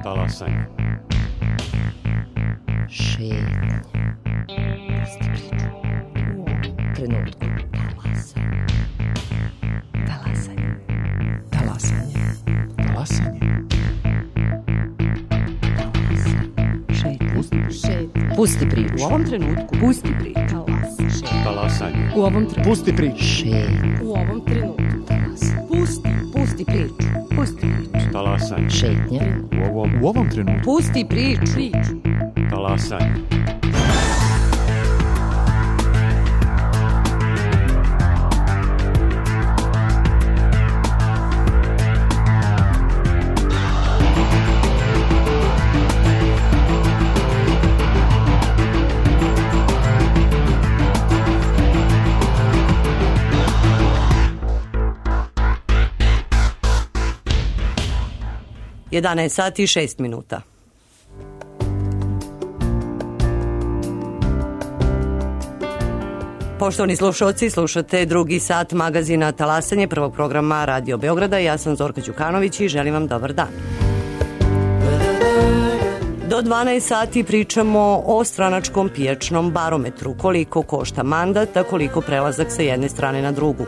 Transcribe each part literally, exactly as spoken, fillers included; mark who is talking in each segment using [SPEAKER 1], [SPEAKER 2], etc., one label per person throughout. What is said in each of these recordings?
[SPEAKER 1] Talasanje.
[SPEAKER 2] Šetnja. Pusti priču. U ovom trenutku. Talasanje. Talasanje.
[SPEAKER 3] Talasanje.
[SPEAKER 2] Šetnja. Pusti priču.
[SPEAKER 4] U ovom trenutku.
[SPEAKER 2] Pusti priču.
[SPEAKER 1] Talasanje.
[SPEAKER 4] U ovom trenutku.
[SPEAKER 3] Pusti priču.
[SPEAKER 2] Šetnja.
[SPEAKER 4] U ovom trenutku. Pusti. Pusti priču. Pusti priču.
[SPEAKER 1] Talasanje.
[SPEAKER 2] Šetnja.
[SPEAKER 1] U ovom,
[SPEAKER 3] U ovom trenutku.
[SPEAKER 4] Pusti priču. Priču.
[SPEAKER 1] talasanje.
[SPEAKER 4] jedanaest sati i šest minuta. Poštovani slušalci, slušate drugi sat magazina Talasanje, prvog programa Radio Beograda. Ja sam Zorka Đukanović i želim vam dobar dan. Do dvanaest sati pričamo o stranačkom pijačnom barometru. Koliko košta mandat, a koliko prelazak sa jedne strane na drugu.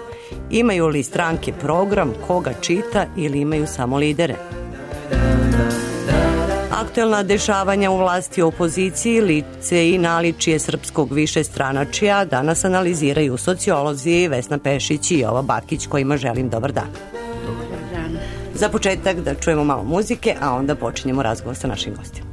[SPEAKER 4] Imaju li stranke program, koga čita ili imaju samo lidere? Aktuelna dešavanja u vlasti i opoziciji, lice i naličje srpskog višestranačja danas analiziraju sociolozi Vesna Pešić i Jova Bakić, kojima želim dobar dan.
[SPEAKER 2] Dobar dan.
[SPEAKER 4] Za početak da čujemo malo muzike, a onda počinjemo razgovor sa našim gostima.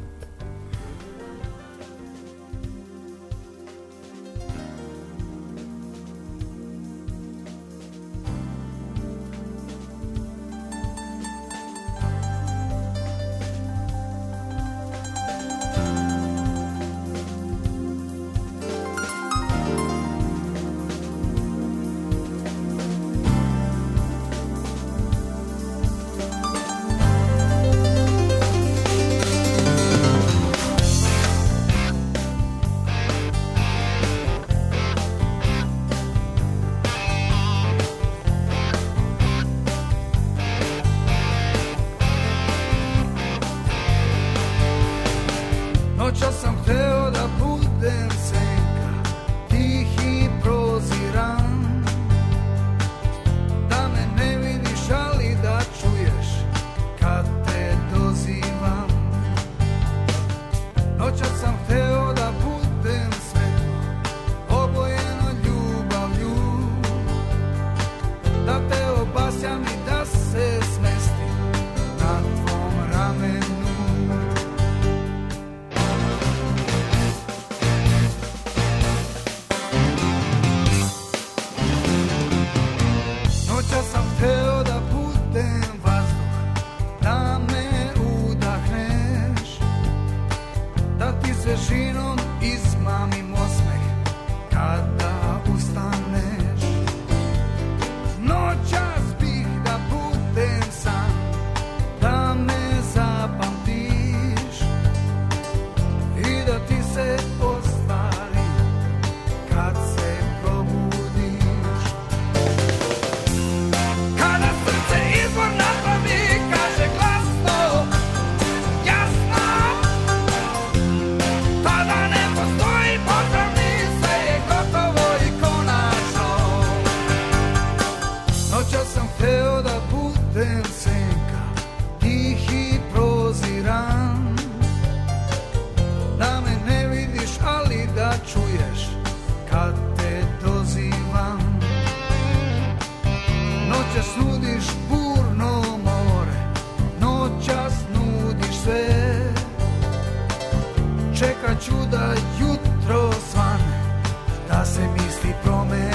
[SPEAKER 5] Come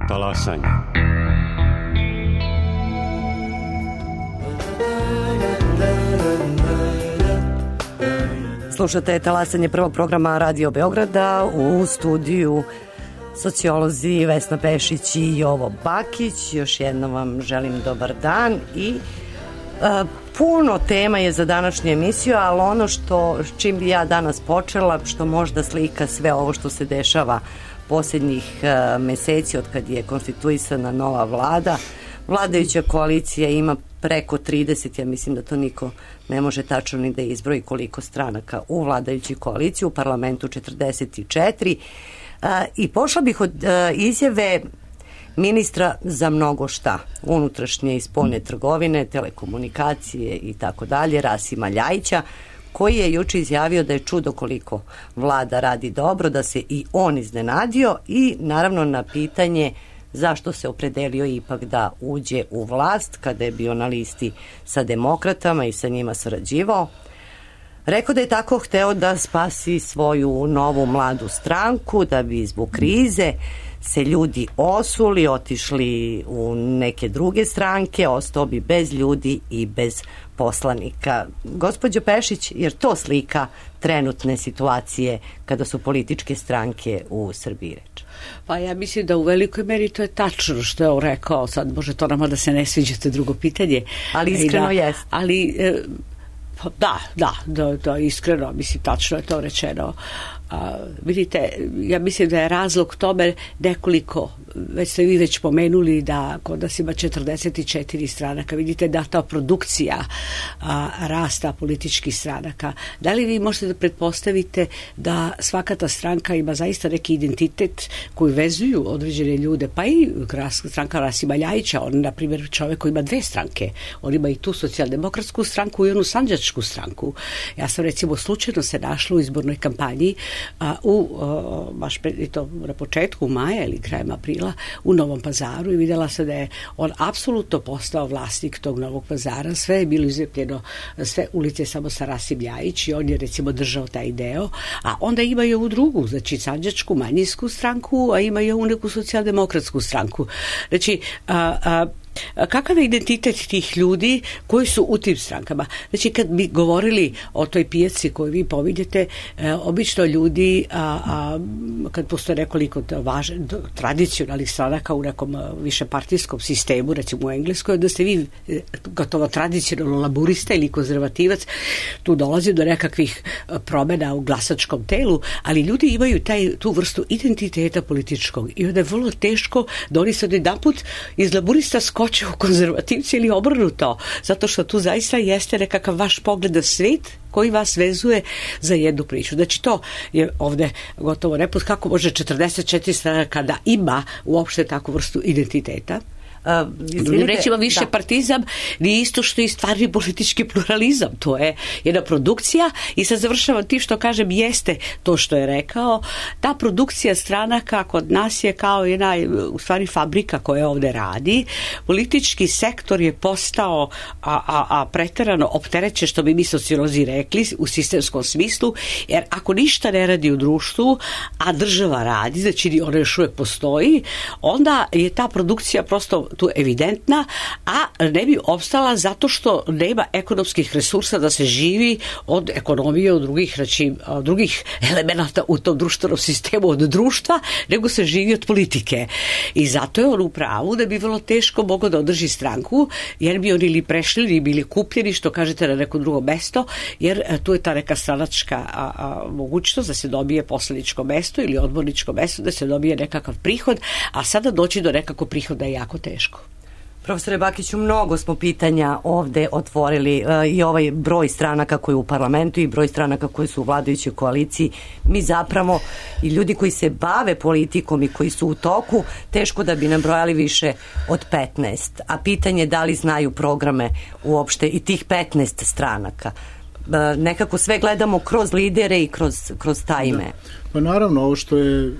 [SPEAKER 1] Talasanje.
[SPEAKER 4] Slušate talasanje prvog programa Radio Beograda, u studiju sociolozi Vesna Pešić i Jovo Bakić. Još jednom vam želim dobar dan i a, puno tema je za današnju emisiju, ali ono što čim bi ja danas počela, što možda slika sve ovo što se dešava posljednjih a, meseci od kad je konstituisana nova vlada. Vladajuća koalicija ima preko trideset, ja mislim da to niko ne može tačno ni da izbroji koliko stranaka u vladajućoj koaliciji, u parlamentu četrdeset četiri. A, I pošla bih od a, izjave ministra za mnogo šta, unutrašnje i spoljne trgovine, telekomunikacije i tako dalje, Rasima Ljajića, koji je juče izjavio da je čudo koliko vlada radi dobro, da se i on iznenadio i naravno na pitanje zašto se opredelio ipak da uđe u vlast kada je bio na listi sa demokratama i sa njima sarađivao. Rekao da je tako hteo da spasi svoju novu mladu stranku, da bi zbog krize se ljudi osuli, otišli u neke druge stranke, ostao bi bez ljudi i bez poslanika. Gospođo Pešić, jer to slika trenutne situacije kada su političke stranke u Srbiji reč?
[SPEAKER 2] Pa ja mislim da u velikoj meri to je tačno što je on rekao. Sad može to nama da se ne sviđa, to je drugo pitanje.
[SPEAKER 4] Ali iskreno
[SPEAKER 2] da,
[SPEAKER 4] jest.
[SPEAKER 2] Ali da, da, da, da, iskreno, mislim, tačno je to rečeno. A, vidite, ja mislim da je razlog tome nekoliko, već ste vi već pomenuli da kod nas ima četrdeset četiri stranaka, vidite da ta produkcija a, rasta političkih stranaka, da li vi možete da pretpostavite da svaka ta stranka ima zaista neki identitet koji vezuju određene ljude, pa i stranka Rasima Ljajića, on na primjer čovjek koji ima dve stranke, on ima i tu socijaldemokratsku stranku i onu sandžačku stranku. Ja sam recimo slučajno se našla u izbornoj kampanji a, u, a, baš pre, i to na početku maja ili krajem aprila u Novom Pazaru i vidjela sam da je on apsolutno postao vlasnik tog Novog Pazara, sve je bilo izlepljeno, sve ulice samo sa Rasim Ljajić i on je recimo držao taj deo, a onda ima i ovu drugu, znači sandžačku manjinsku stranku, a ima i ovu neku socijaldemokratsku stranku. Znači, a, a, kakav je identitet tih ljudi koji su u tim strankama? Znači, kad bi govorili o toj pijaci koju vi pominjete, e, obično ljudi, a, a, kad postoje nekoliko važan, tradicionalnih stranaka u nekom višepartijskom sistemu, recimo u Engleskoj, da ste vi gotovo tradicionalno laburista ili konzervativac, tu dolazi do nekakvih promjena u glasačkom telu, ali ljudi imaju taj, tu vrstu identiteta političkog i onda je vrlo teško da oni se odjedanput iz laburista skoče u konzervativci ili obrnuto, zato što tu zaista jeste nekakav vaš pogled na svijet koji vas vezuje za jednu priču. Znači to je ovdje gotovo neput kako može četrdeset četiri stranaka da ima uopšte takvu vrstu identiteta. Uh, Drugim rečima, više da. Partizam nije isto što i stvarni politički pluralizam. To je jedna produkcija i sad završavam tim što kažem jeste to što je rekao. Ta produkcija stranaka kod nas je kao jedna u stvari fabrika koja ovdje radi. Politički sektor je postao a, a, a preterano opterećen, što bi mi sociolozi rekli, u sistemskom smislu, jer ako ništa ne radi u društvu, a država radi, znači ona još uvijek postoji, onda je ta produkcija prosto tu evidentna, a ne bi opstala zato što nema ekonomskih resursa da se živi od ekonomije, od drugih, reći, od drugih elemenata u tom društvenom sistemu, od društva, nego se živi od politike. I zato je on u pravu da bi vrlo teško mogao da održi stranku, jer bi oni ili prešli ili bili kupljeni, što kažete, na neko drugo mesto, jer tu je ta neka stranačka a, a, mogućnost da se dobije poslaničko mesto ili odborničko mesto, da se dobije nekakav prihod, a sada doći do nekakvog prihoda je jako teško.
[SPEAKER 4] Profesore Bakiću, mnogo smo pitanja ovde otvorili e, i ovaj broj stranaka koji je u parlamentu i broj stranaka koji su u vladajućoj koaliciji. Mi zapravo i ljudi koji se bave politikom i koji su u toku, teško da bi nabrojali više od petnaest. A pitanje je da li znaju programe uopšte i tih petnaest stranaka. E, nekako sve gledamo kroz lidere i kroz, kroz ta ime.
[SPEAKER 3] Da. Pa naravno, ovo što je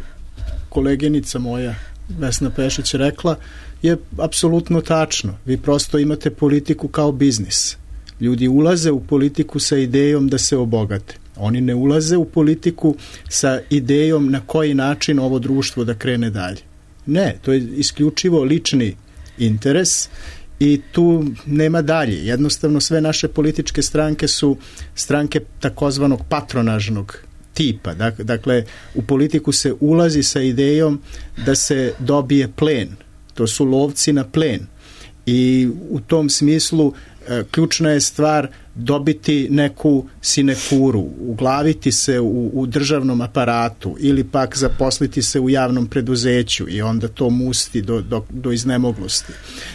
[SPEAKER 3] koleginica moja Vesna Pešić rekla je apsolutno tačno. Vi prosto imate politiku kao biznis. Ljudi ulaze u politiku sa idejom da se obogate. Oni ne ulaze u politiku sa idejom na koji način ovo društvo da krene dalje. Ne, to je isključivo lični interes i tu nema dalje. Jednostavno sve naše političke stranke su stranke takozvanog patronažnog tipa. Dakle, u politiku se ulazi sa idejom da se dobije plen. To su lovci na plen. I u tom smislu ključna je stvar dobiti neku sinekuru, uglaviti se u, u državnom aparatu ili pak zaposliti se u javnom preduzeću i onda to musti do, do, do iznemoglosti.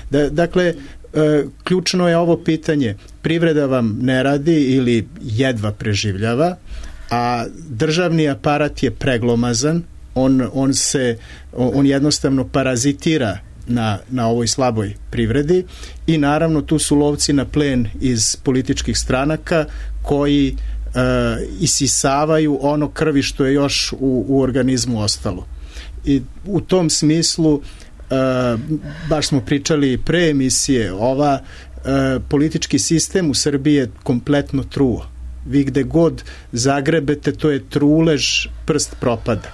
[SPEAKER 3] Da, dakle, ključno je ovo pitanje. Privreda vam ne radi ili jedva preživljava, a državni aparat je preglomazan, on, on, se, on jednostavno parazitira Na, na ovoj slaboj privredi i naravno tu su lovci na plen iz političkih stranaka koji e, isisavaju ono krvi što je još u, u organizmu ostalo. I u tom smislu e, baš smo pričali pre emisije, ova e, politički sistem u Srbiji je kompletno truo. Vi gde god zagrebete, to je trulež, prst propada.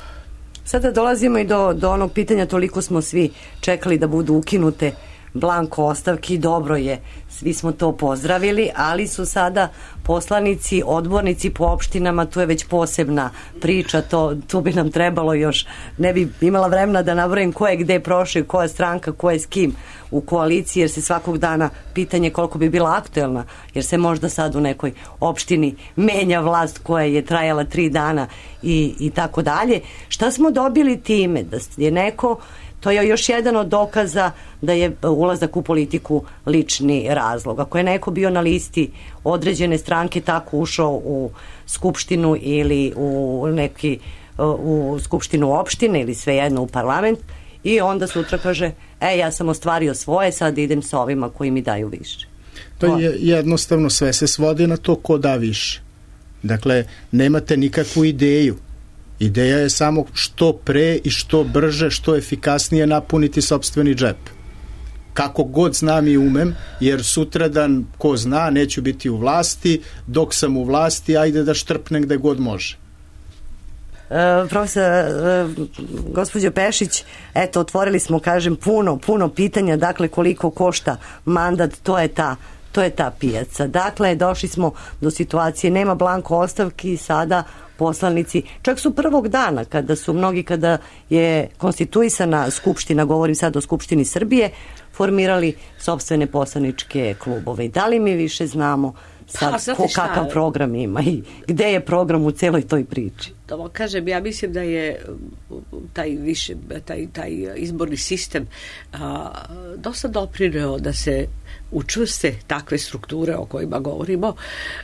[SPEAKER 4] Sada dolazimo i do, do onog pitanja, toliko smo svi čekali da budu ukinute blanko ostavki, dobro je, svi smo to pozdravili, ali su sada poslanici, odbornici po opštinama, tu je već posebna priča, to, tu bi nam trebalo još, ne bi imala vremena da nabrojim ko je gde prošao, koja stranka, ko je s kim u koaliciji, jer se svakog dana pitanje koliko bi bila aktuelna, jer se možda sad u nekoj opštini menja vlast koja je trajala tri dana i, i tako dalje. Šta smo dobili time? Da je neko, to je još jedan od dokaza da je ulazak u politiku lični razlog. Ako je neko bio na listi određene stranke, tako ušao u skupštinu ili u neki u skupštinu opštine ili svejedno u parlament i onda sutra kaže, e, ja sam ostvario svoje, sad idem sa ovima koji mi daju više.
[SPEAKER 3] To je jednostavno sve se svodi na to ko da više. Dakle, nemate nikakvu ideju. Ideja je samo što pre i što brže, što efikasnije napuniti sopstveni džep. Kako god znam i umem, jer sutradan, ko zna, neću biti u vlasti, dok sam u vlasti, ajde da štrpnem gde god može.
[SPEAKER 4] Uh, profesor, uh, gospođo Pešić, eto, otvorili smo, kažem, puno, puno pitanja, dakle, koliko košta mandat, to je ta to je ta pijaca. Dakle, došli smo do situacije, nema blanko ostavki, sada poslanici, čak su prvog dana, kada su mnogi, kada je konstituisana skupština, govorim sad o Skupštini Srbije, formirali sopstvene poslaničke klubove. Da li mi više znamo sad pa, ko, kakav program ima i gde je program u celoj toj priči?
[SPEAKER 2] To kažem, ja mislim da je taj više, taj, taj izborni sistem a, dosta doprineo da se učvrste takve strukture o kojima govorimo,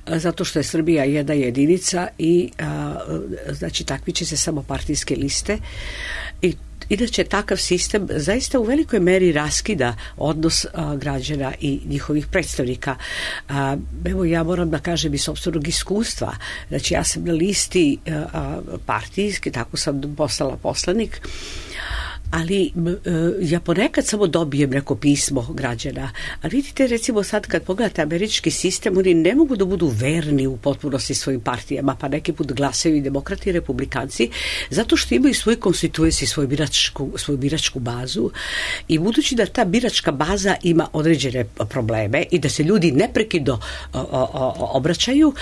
[SPEAKER 2] a, zato što je Srbija jedna jedinica i a, znači takmiče se samo partijske liste i inače takav sistem zaista u velikoj meri raskida odnos a, građana i njihovih predstavnika. A, evo ja moram da kažem iz sopstvenog iskustva, znači ja sam na listi a, partijski, tako sam postala poslanik, ali ja ponekad samo dobijem neko pismo građana. A vidite, recimo sad kad pogledate američki sistem, oni ne mogu da budu verni u potpunosti svojim partijama, pa neki put glasaju i demokrati i republikanci, zato što imaju svoj konstituenci, svoju biračku, svoju biračku bazu i budući da ta biračka baza ima određene probleme i da se ljudi neprekidno obraćaju,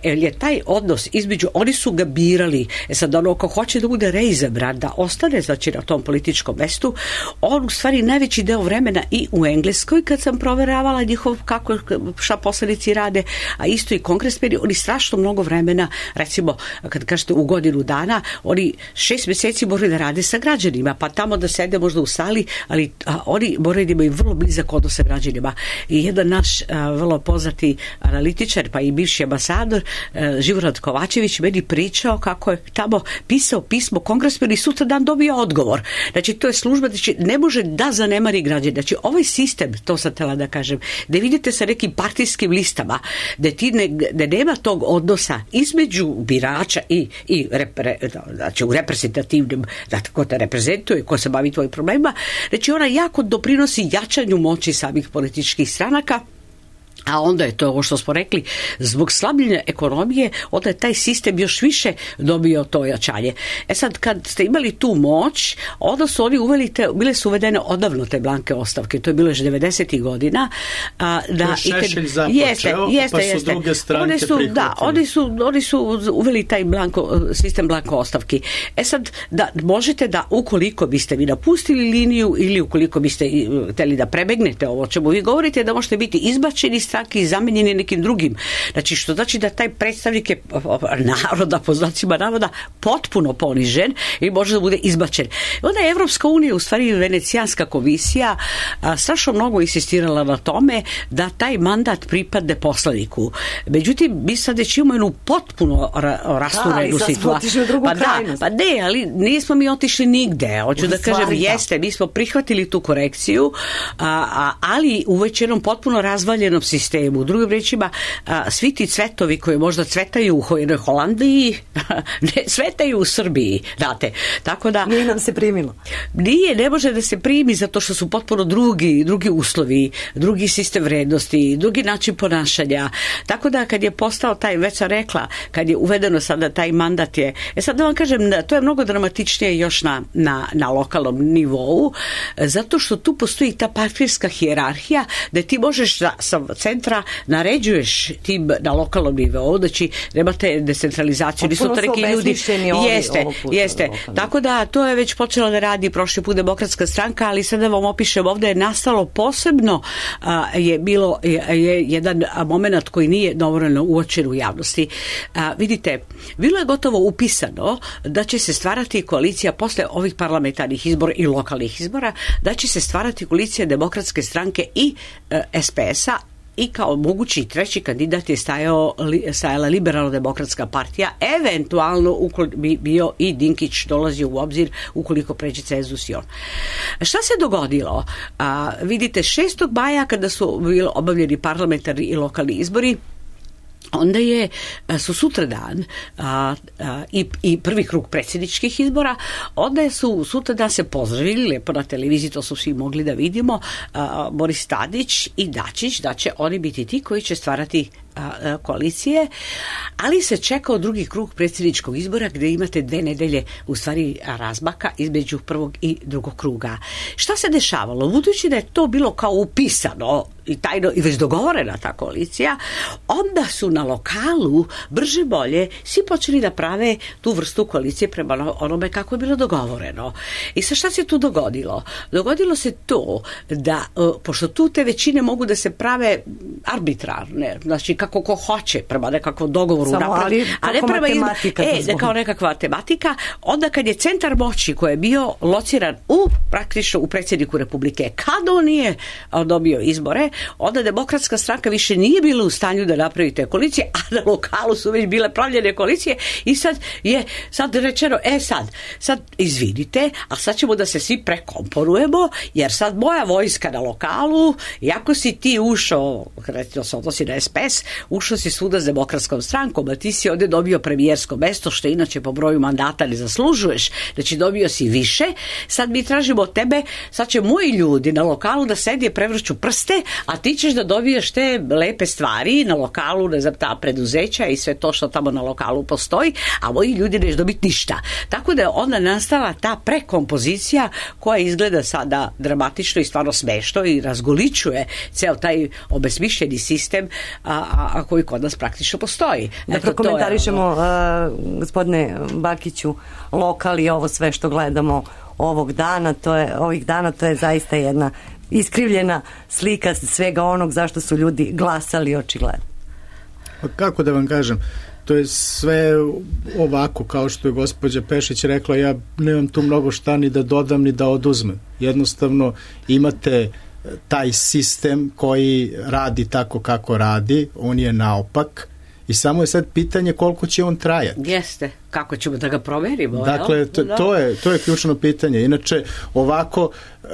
[SPEAKER 2] jer je taj odnos između, oni su ga birali, e sad ono ko hoće da bude reizabran, da ostane znači na tom političkom mestu, on u stvari najveći deo vremena i u Engleskoj kad sam proveravala njihov kako šta poslanici rade, a isto i kongresmeni, oni strašno mnogo vremena, recimo kad kažete u godinu dana, oni šest meseci moraju da rade sa građanima, pa tamo da sede možda u sali, ali a, oni moraju da imaju vrlo blizak odnos sa građanima. I jedan naš a, vrlo poznati analitičar, pa i bivši ambasador a, Živorad Kovačević meni pričao kako je tamo pisao pismo kongresmeni i sutra dan dobio odgovor. Znači, to je služba, znači, ne može da zanemari građane. Znači, ovaj sistem, to sam htela da kažem, da vidite sa nekim partijskim listama, da ti ne, da nema tog odnosa između birača i, i repre, znači, u reprezentativnim, da ko te reprezentuje, ko se bavi tvojim problemima, znači, ona jako doprinosi jačanju moći samih političkih stranaka a onda je to ovo što smo rekli, zbog slabljenja ekonomije, onda je taj sistem još više dobio to ojačanje. E sad, kad ste imali tu moć, onda su oni uveli te, bile su uvedene odavno te blanke ostavke, to je bilo još devedesetih godina. A, da,
[SPEAKER 3] Šešelj započeo,
[SPEAKER 2] jeste, jeste,
[SPEAKER 3] pa su
[SPEAKER 2] jeste.
[SPEAKER 3] druge stranke
[SPEAKER 2] oni su,
[SPEAKER 3] prihvatili.
[SPEAKER 2] Da, oni su, oni su uveli taj blanko, sistem blanko ostavki. E sad, da možete da, ukoliko biste vi napustili liniju ili ukoliko biste hteli da prebegnete ovo čemu vi govorite, da možete biti izbačeni stranke i zamenjeni nekim drugim. Znači, što znači da taj predstavnik je naroda, po znacima navoda, potpuno ponižen i može da bude izbačen. Onda je Evropska unija, u stvari Venecijanska komisija, a, strašno mnogo insistirala na tome da taj mandat pripadne poslaniku. Međutim, mi sad već imamo jednu potpuno ra, rasturenu situaciju. Pa da, pa ne, ali nismo mi otišli nigde. Hoću da kažem, da. jeste, mi smo prihvatili tu korekciju, a, a, ali u već jednom potpuno razvaljenom sistemu. U drugim rečima, a, svi ti cvetovi koji možda cvetaju u jednoj Holandiji, ne cvetaju u Srbiji, znate. Tako da...
[SPEAKER 4] Nije nam se primilo.
[SPEAKER 2] Nije, ne može da se primi zato što su potpuno drugi, drugi uslovi, drugi sistem vrednosti, drugi način ponašanja. Tako da kad je postao taj, već sam rekla, kad je uvedeno sada taj mandat je, e sad da vam kažem, to je mnogo dramatičnije još na, na, na lokalnom nivou, zato što tu postoji ta partijska hijerarhija da ti možeš da, sa centra naređuješ tim na lokalnom nivou, znači nemate decentralizaciju, nisu to neki ljudi. Jeste, jeste. Tako da to je već počela da radi prošli put Demokratska stranka, ali sada vam opišem, ovdje je nastalo posebno a, je bilo je, je jedan moment koji nije dovoljno uočen u javnosti. A, vidite, bilo je gotovo upisano da će se stvarati koalicija posle ovih parlamentarnih izbora i lokalnih izbora, da će se stvarati koalicija Demokratske stranke i e, es pe es a, i kao mogući treći kandidat je stajao, stajala Liberalno-demokratska partija, eventualno ukoliko bi bio i Dinkić dolazio u obzir ukoliko pređe cenzus i on. Šta se dogodilo? A, vidite, šestog maja kada su bili obavljeni parlamentarni i lokalni izbori, onda je, su sutradan a, a, i, i prvi krug predsjedničkih izbora, onda su sutradan se pozdravili, lepo na televiziji, to su svi mogli da vidimo, a, Boris Tadić i Dačić, da će oni biti ti koji će stvarati a, a, koalicije, ali se čekao drugi krug predsjedničkog izbora gdje imate dve nedelje u stvari razmaka između prvog i drugog kruga. Šta se dešavalo? Budući da je to bilo kao upisano i tajno i već dogovorena ta koalicija, onda su na lokalu brže bolje svi počeli da prave tu vrstu koalicije prema onome kako je bilo dogovoreno. I sa šta se tu dogodilo? Dogodilo se to da, pošto tu te većine mogu da se prave arbitrarne, znači kako ko hoće prema nekakvom dogovoru,
[SPEAKER 4] samo, ali,
[SPEAKER 2] a ne prema
[SPEAKER 4] matematika,
[SPEAKER 2] e, da kao nekakva tematika, onda kad je centar moći koji je bio lociran u praktično u predsjedniku Republike, kad on nije dobio izbore, onda Demokratska stranka više nije bila u stanju da napravi te koalicije, a na lokalu su već bile pravljene koalicije i sad je sad rečeno, e sad, sad izvinite, a sad ćemo da se svi prekomponujemo, jer sad moja vojska na lokalu, iako si ti ušao, recimo se odnosi na es pe es, ušao si svuda s Demokratskom strankom, a ti si ovdje dobio premijersko mesto, što inače po broju mandata ne zaslužuješ, znači dobio si više, sad mi tražimo od tebe, sad će moji ljudi na lokalu da sedi prevrću prste, a ti ćeš da dobiješ te lepe stvari na lokalu, ne znam, ta preduzeća i sve to što tamo na lokalu postoji, a moji ljudi neće dobiti ništa. Tako da je onda nastala ta prekompozicija koja izgleda sada dramatično i stvarno smešno i razgoličuje ceo taj obesmišljeni sistem a, a, a koji kod nas praktično postoji.
[SPEAKER 4] Da Eto, prokomentarišemo, je, uh, gospodine Bakiću, lokal i ovo sve što gledamo ovog dana, to je, ovih dana, to je zaista jedna iskrivljena slika svega onog zašto su ljudi glasali očigledno.
[SPEAKER 3] Pa kako da vam kažem, to je sve ovako kao što je gospođa Pešić rekla, ja nemam tu mnogo šta ni da dodam ni da oduzmem. Jednostavno imate taj sistem koji radi tako kako radi, on je naopak i samo je sad pitanje koliko će on trajati.
[SPEAKER 2] Jeste, kako ćemo da ga proverimo.
[SPEAKER 3] Dakle, to, to, je, to je ključno pitanje. Inače, ovako, uh,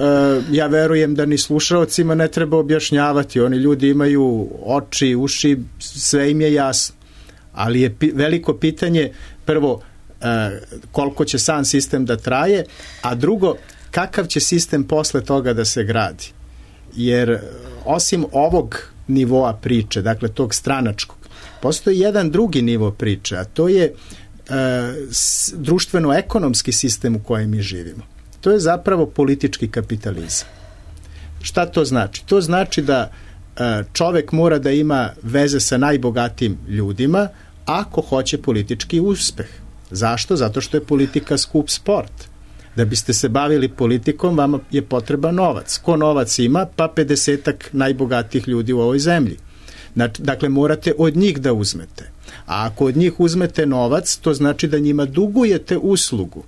[SPEAKER 3] ja verujem da ni slušalcima ne treba objašnjavati. Oni ljudi imaju oči, uši, sve im je jasno. Ali je pi- veliko pitanje, prvo, uh, koliko će sam sistem da traje, a drugo, kakav će sistem posle toga da se gradi. Jer osim ovog nivoa priče, dakle tog stranačkog. Postoji jedan drugi nivo priče, a to je e, društveno-ekonomski sistem u kojem mi živimo. To je zapravo politički kapitalizam. Šta to znači? To znači da e, čovek mora da ima veze sa najbogatijim ljudima ako hoće politički uspeh. Zašto? Zato što je politika skup sport. Da biste se bavili politikom, vama je potreban novac. Ko novac ima? Pa pedesetak najbogatijih ljudi u ovoj zemlji. Dakle, morate od njih da uzmete. A ako od njih uzmete novac, to znači da njima dugujete uslugu.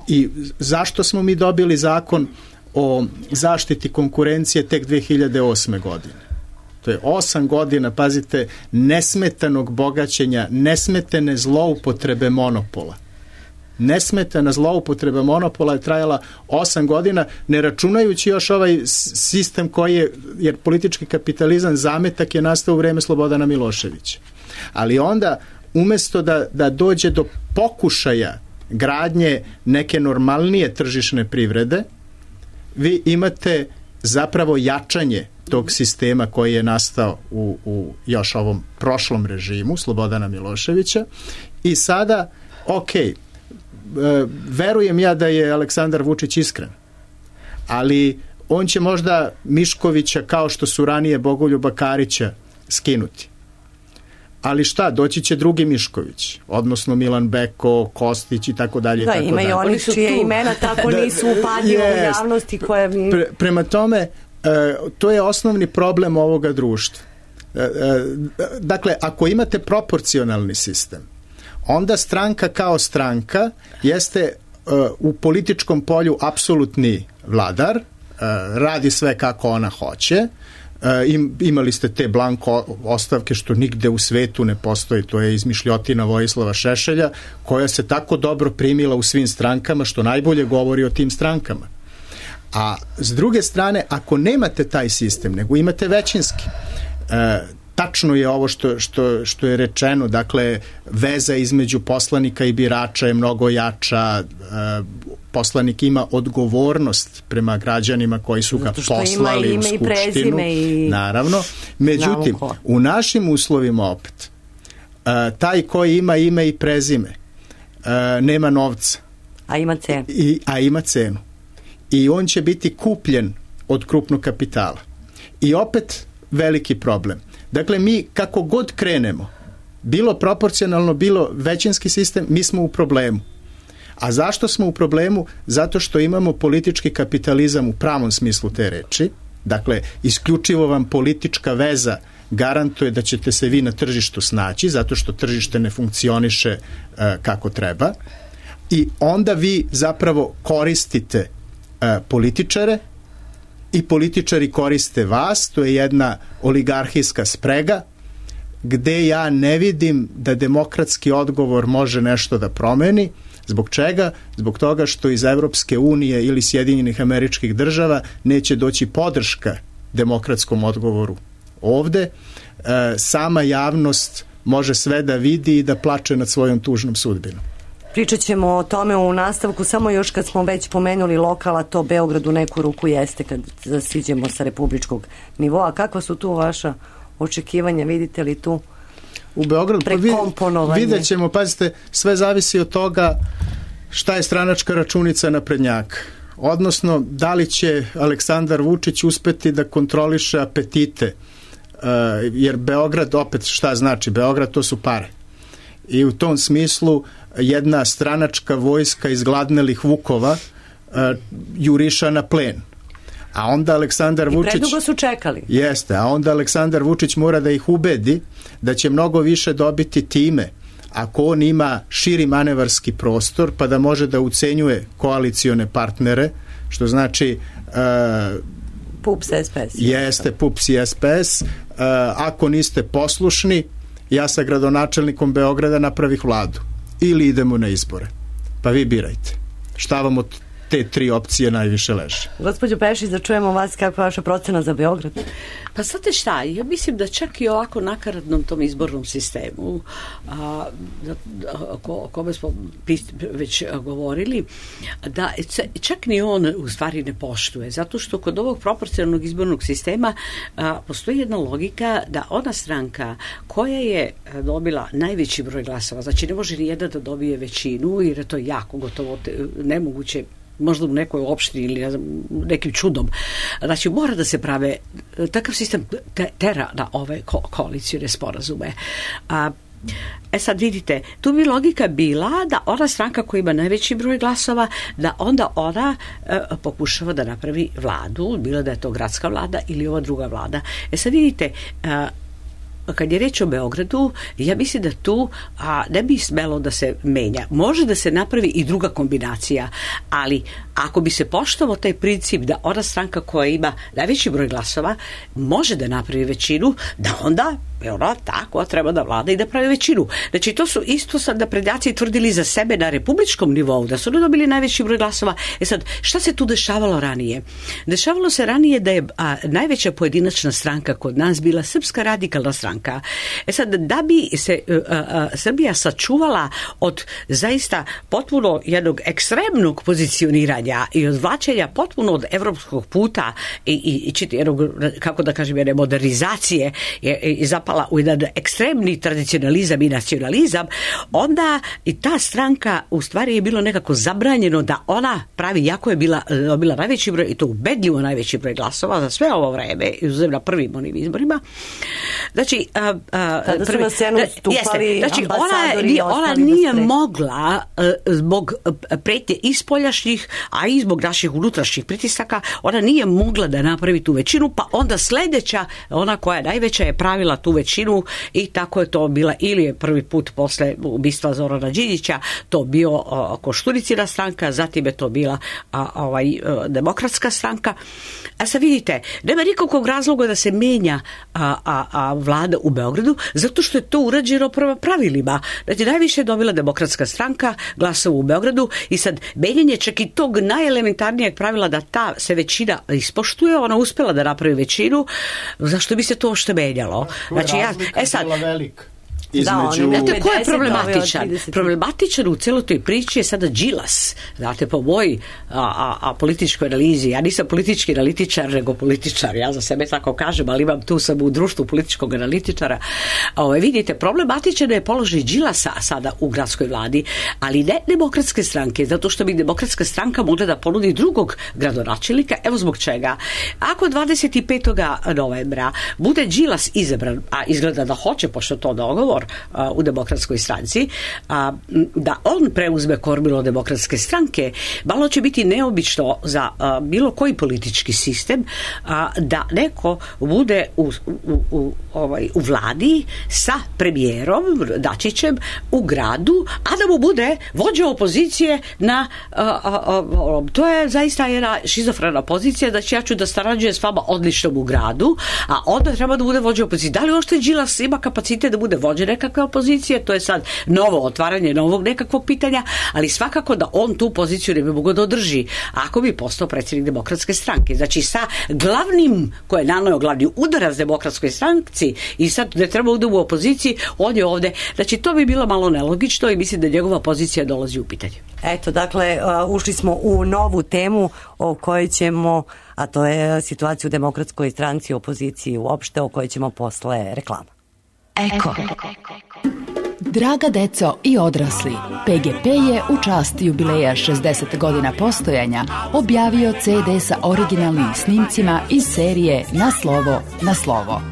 [SPEAKER 3] I zašto smo mi dobili zakon o zaštiti konkurencije tek dve hiljade osme. godine? To je osam godina, pazite, nesmetanog bogaćenja, nesmetene zloupotrebe monopola. Nesmetana zloupotreba monopola je trajala osam godina, ne računajući još ovaj sistem koji je, jer politički kapitalizam zametak je nastao u vreme Slobodana Miloševića. Ali onda, umesto da, da dođe do pokušaja gradnje neke normalnije tržišne privrede, vi imate zapravo jačanje tog sistema koji je nastao u, u još ovom prošlom režimu Slobodana Miloševića i sada, okej, verujem ja da je Aleksandar Vučić iskren, ali on će možda Miškovića kao što su ranije Bogoljuba Karića skinuti. Ali šta, doći će drugi Mišković, odnosno Milan Beko, Kostić i tako dalje.
[SPEAKER 4] Da, ima i oni čije imena tako nisu upadljivo u javnosti koje...
[SPEAKER 3] Pre, prema tome, e, to je osnovni problem ovoga društva. E, e, dakle, ako imate proporcionalni sistem, onda stranka kao stranka jeste uh, u političkom polju apsolutni vladar, uh, radi sve kako ona hoće. Uh, im, imali ste te blanko ostavke što nigde u svetu ne postoji, to je izmišljotina Vojislava Šešelja, koja se tako dobro primila u svim strankama, što najbolje govori o tim strankama. A s druge strane, ako nemate taj sistem, nego imate većinski, uh, tačno je ovo što, što, što je rečeno, dakle, veza između poslanika i birača je mnogo jača, e, poslanik ima odgovornost prema građanima koji su ga poslali
[SPEAKER 4] ima
[SPEAKER 3] u Skupštinu.
[SPEAKER 4] I
[SPEAKER 3] naravno. Međutim, u našim uslovima opet, e, taj koji ima ime i prezime, e, nema novca.
[SPEAKER 4] A ima cenu.
[SPEAKER 3] I, a ima cenu. I on će biti kupljen od krupnog kapitala. I opet veliki problem. Dakle, mi kako god krenemo, bilo proporcionalno, bilo većinski sistem, mi smo u problemu. A zašto smo u problemu? Zato što imamo politički kapitalizam u pravom smislu te reči. Dakle, isključivo vam politička veza garantuje da ćete se vi na tržištu snaći, zato što tržište ne funkcioniše uh, kako treba. I onda vi zapravo koristite uh, političare, i političari koriste vas, to je jedna oligarhijska sprega, gde ja ne vidim da demokratski odgovor može nešto da promeni. Zbog čega? Zbog toga što iz Evropske unije ili Sjedinjenih Američkih Država neće doći podrška demokratskom odgovoru ovde. E, sama javnost može sve da vidi i da plače nad svojom tužnom sudbinom.
[SPEAKER 4] Pričat ćemo o tome u nastavku, samo još kad smo već pomenuli lokala, to Beograd u neku ruku jeste kad siđemo sa republičkog nivoa. Kakva su tu vaša očekivanja? Vidite li tu
[SPEAKER 3] u Beogradu
[SPEAKER 4] prekomponovanje?
[SPEAKER 3] Vidjet ćemo, pazite, sve zavisi od toga šta je stranačka računica naprednjaka. Odnosno, da li će Aleksandar Vučić uspeti da kontroliše apetite, uh, jer Beograd, opet šta znači? Beograd to su pare. I u tom smislu jedna stranačka vojska izgladnelih vukova uh, juriša na plen. A onda Aleksandar Vučić...
[SPEAKER 4] I predugo su čekali.
[SPEAKER 3] Jeste, a onda Aleksandar Vučić mora da ih ubedi da će mnogo više dobiti time ako on ima širi manevarski prostor, pa da može da ucenjuje koalicione partnere, što znači... Uh,
[SPEAKER 4] P U P S, S P S.
[SPEAKER 3] Jeste, P U P S i S P S. Uh, ako niste poslušni, ja sa gradonačelnikom Beograda napravih vladu. Ili idemo na izbore. Pa vi birajte. Šta vam od te tri opcije najviše leže.
[SPEAKER 4] Gospođo Pešić, da čujemo vas, kakva je vaša procena za Beograd?
[SPEAKER 2] Pa znate šta, ja mislim da čak i ovako nakaradnom tom izbornom sistemu, a, o kome smo već govorili, da čak ni on u stvari ne poštuje, zato što kod ovog proporcionalnog izbornog sistema a, postoji jedna logika da ona stranka koja je dobila najveći broj glasova, znači ne može ni jedna da dobije većinu, jer je to jako gotovo nemoguće, možda u nekoj opštini ili ne znam, nekim čudom. Znači, mora da se prave, takav sistem te, tera na ove ko, koalicijne sporazume. A, e sad vidite, tu bi logika bila da ona stranka koja ima najveći broj glasova, da onda ona e, pokušava da napravi vladu, bilo da je to gradska vlada ili ova druga vlada. E sad vidite, a, kad je reč o Beogradu, ja mislim da tu a, ne bi smelo da se menja. Može da se napravi i druga kombinacija, ali ako bi se poštovao taj princip da ona stranka koja ima najveći broj glasova može da napravi većinu, da onda je ona ta koja treba da vlada i da pravi većinu. Znači, to su isto sad da prednjaci tvrdili za sebe na republičkom nivou, da su ne dobili najveći broj glasova. E sad, šta se tu dešavalo ranije? Dešavalo se ranije da je a, najveća pojedinačna stranka kod nas bila Srpska radikalna stranka. E sad, da bi se a, a, Srbija sačuvala od zaista potpuno jednog ekstremnog pozicioniranja i odvlačenja potpuno od evropskog puta i, i, i čiti jednog, kako da kažem, jedne modernizacije i, i zapala u jedan ekstremni tradicionalizam i nacionalizam, onda i ta stranka u stvari je bilo nekako zabranjeno da ona pravi, jako je bila dobila najveći broj, i to ubedljivo najveći broj glasova za sve ovo vreme, izuzev na prvim onim izborima. Znači, a, a,
[SPEAKER 4] tada su
[SPEAKER 2] prvi,
[SPEAKER 4] na scenu stupali
[SPEAKER 2] znači,
[SPEAKER 4] ambasadori.
[SPEAKER 2] Ona, ona nije mogla a, zbog pretnje ispoljašnjih, a i zbog naših unutrašnjih pritisaka, ona nije mogla da napravi tu većinu, pa onda sledeća, ona koja je najveća, je pravila tu većinu i tako je to bila, ili je prvi put posle ubistva Zorana Đinđića to bio a, Koštunicina stranka, zatim je to bila a, ovaj, a, demokratska stranka. A sad vidite, nema nikakvog razloga da se menja a, a, a vlada u Beogradu, zato što je to urađeno prema pravilima. Znači, najviše je dobila demokratska stranka glasova u Beogradu i sad menjanje čak i tog najelementarnijeg pravila da ta se većina ispoštuje, ona uspela da napravi većinu, zašto bi se to ošte menjalo? Znači, ja, e sad,
[SPEAKER 3] između...
[SPEAKER 2] Da, znate ko je problematičan? Problematičan u celoj toj priči je sada Đilas. Znate, po mojoj a, a, a političkoj analizi, ja nisam politički analitičar, nego političar, ja za sebe tako kažem, ali imam tu sam u društvu političkog analitičara. Ove, vidite, problematičan je položaj Đilasa sada u gradskoj vladi, ali ne demokratske stranke, zato što bi demokratska stranka mogla da ponudi drugog gradonačelnika. Evo zbog čega. Ako dvadeset petog novembra bude Đilas izabran, a izgleda da hoće, pošto to dogovor u demokratskoj stranci, a, da on preuzme kormilo demokratske stranke, malo će biti neobično za a, bilo koji politički sistem a, da neko bude u, u, u, ovaj, u vladi sa premijerom Dačićem u gradu, a da mu bude vođa opozicije na a, a, a, to je zaista jedna šizofrena pozicija, da će ja ću da sarađujem s vama odlično u gradu, a onda treba da bude vođa opozicije. Da li ošte Đilas ima kapacitet da bude vođa nekakve opozicije, to je sad novo otvaranje novog nekakvog pitanja, ali svakako da on tu poziciju ne bi mogao da održi ako bi postao predsjednik demokratske stranke. Znači, sa glavnim, koje je naneo glavni udarac demokratskoj stranci i sad ne treba da u opoziciji, on je ovde. Znači, to bi bilo malo nelogično i mislim da njegova pozicija dolazi u pitanje.
[SPEAKER 4] Eto, dakle, ušli smo u novu temu o kojoj ćemo, a to je situacija u demokratskoj stranci, opoziciji uopšte, o kojoj ćemo posle reklama.
[SPEAKER 5] Eko. Draga deco i odrasli, P G P je u čast jubileja šezdeset godina postojanja objavio ce de sa originalnim snimcima iz serije Na slovo, na slovo.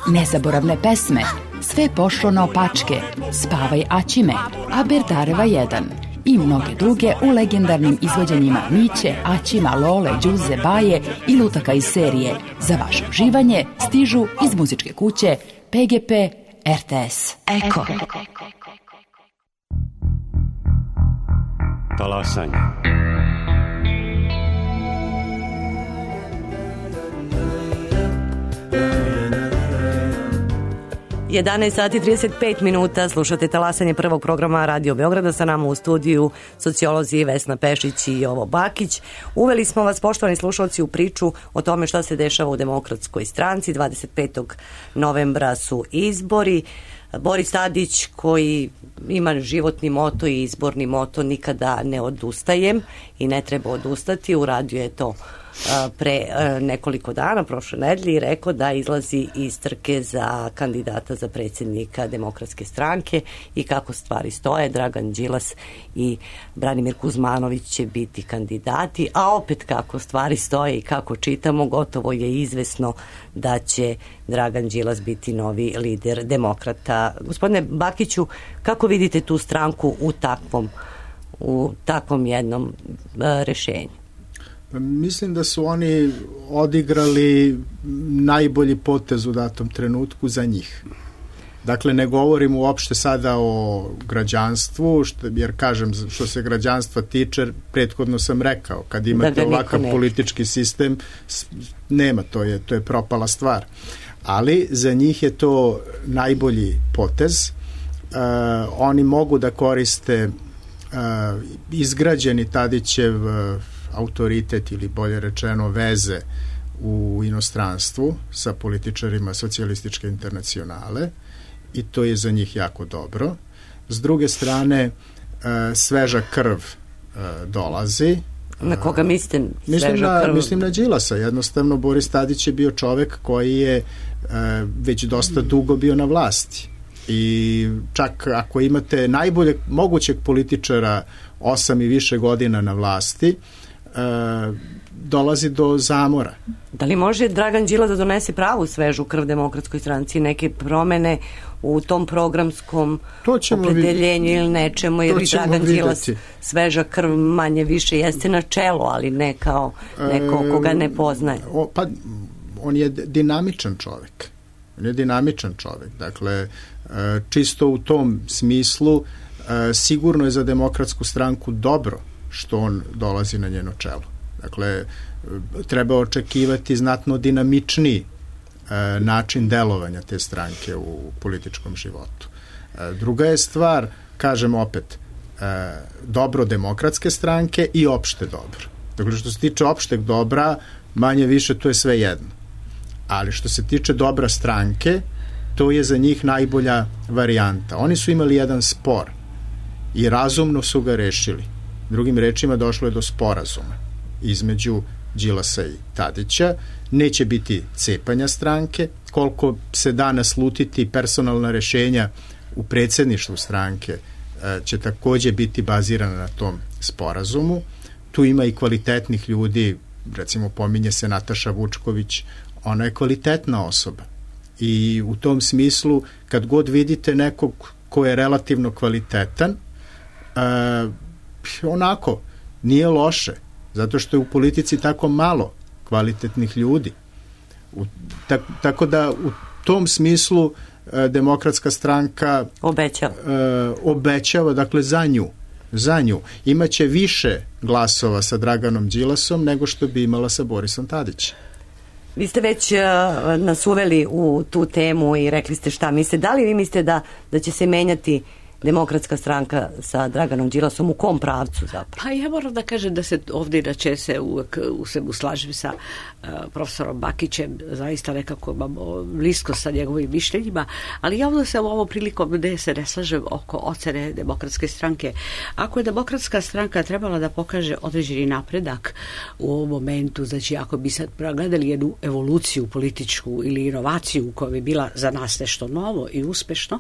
[SPEAKER 5] Nezaboravne pesme, Sve pošlo naopačke, Spavaj Aćime, Aberdareva jedan i mnoge druge u legendarnim izvođenjima Miće, Aćima, Lole, Đuze, Baje i lutaka iz serije. Za vaše uživanje stižu iz muzičke kuće P G P R T S. Eko.
[SPEAKER 1] Talasanje.
[SPEAKER 4] jedanaest sati i trideset pet minuta, slušate talasanje prvog programa Radio Beograda, sa nama u studiju sociolozi Vesna Pešić i Jovo Bakić. Uveli smo vas, poštovani slušalci, u priču o tome šta se dešava u Demokratskoj stranci. dvadeset petog novembra su izbori. Boris Tadić, koji ima životni moto i izborni moto nikada ne odustajem i ne treba odustati, uradio je to pre nekoliko dana, prošle nedelje, i rekao da izlazi iz trke za kandidata za predsjednika Demokratske stranke i kako stvari stoje. Dragan Đilas i Branimir Kuzmanović će biti kandidati, a opet kako stvari stoje i kako čitamo, gotovo je izvesno da će Dragan Đilas biti novi lider demokrata. Gospodine Bakiću, kako vidite tu stranku u takvom, u takvom jednom rešenju?
[SPEAKER 3] Mislim da su oni odigrali najbolji potez u datom trenutku za njih. Dakle, ne govorim uopšte sada o građanstvu, što, jer kažem, što se građanstva tiče, prethodno sam rekao, kad imate da ovakav politički sistem, nema, to je, to je propala stvar. Ali za njih je to najbolji potez. Uh, oni mogu da koriste uh, izgrađeni Tadićev uh, autoritet ili bolje rečeno veze u inostranstvu sa političarima socijalističke internacionale i to je za njih jako dobro. S druge strane, sveža krv dolazi.
[SPEAKER 4] Na koga mislite
[SPEAKER 3] mislim
[SPEAKER 4] sveža
[SPEAKER 3] na,
[SPEAKER 4] krv?
[SPEAKER 3] Mislim na Đilasa. Jednostavno, Boris Tadić je bio čovek koji je već dosta dugo bio na vlasti. I čak ako imate najboljeg mogućeg političara osam i više godina na vlasti, dolazi do zamora.
[SPEAKER 4] Da li može Dragan Đilas da donese pravu svežu krv Demokratskoj stranci, neke promene u tom programskom opredeljenju ili nečemu, jer i Dragan Đilas sveža krv manje više jeste na čelu, ali ne kao neko koga ne poznaje.
[SPEAKER 3] O, pa on je dinamičan čovek. On je dinamičan čovek. Dakle, čisto u tom smislu sigurno je za Demokratsku stranku dobro što on dolazi na njeno čelo. Dakle, treba očekivati znatno dinamičniji e, način delovanja te stranke u političkom životu. E, druga je stvar, kažem opet, e, dobro Demokratske stranke i opšte dobro. Dakle, što se tiče opšteg dobra, manje više to je sve jedno. Ali što se tiče dobra stranke, to je za njih najbolja varijanta. Oni su imali jedan spor i razumno su ga rešili. Drugim rečima, došlo je do sporazuma između Đilasa i Tadića. Neće biti cepanja stranke. Koliko se da naslutiti personalna rešenja u predsjedništvu stranke će takođe biti bazirana na tom sporazumu. Tu ima i kvalitetnih ljudi, recimo pominje se Nataša Vučković, ona je kvalitetna osoba. I u tom smislu, kad god vidite nekog ko je relativno kvalitetan, uh, onako, nije loše, zato što je u politici tako malo kvalitetnih ljudi. U, tak, tako da u tom smislu e, Demokratska stranka
[SPEAKER 4] obećava.
[SPEAKER 3] E, obećava, dakle, za nju. Za nju. Imaće više glasova sa Draganom Đilasom nego što bi imala sa Borisom Tadićem.
[SPEAKER 4] Vi ste već uh, nas uveli u tu temu i rekli ste šta mislite. Da li vi mislite da, da će se menjati Demokratska stranka sa Draganom Đilasom, u kom pravcu zapravo?
[SPEAKER 2] Pa ja moram da kažem da se ovdje inače se uvek u sebu slažem sa uh, profesorom Bakićem, zaista nekako imamo blisko sa njegovim mišljenjima, ali ja ovdje se u ovom prilikom ne se ne slažem oko ocene Demokratske stranke. Ako je Demokratska stranka trebala da pokaže određeni napredak u ovom momentu, znači ako bi sad gledali jednu evoluciju političku ili inovaciju koja bi bila za nas nešto novo i uspešno,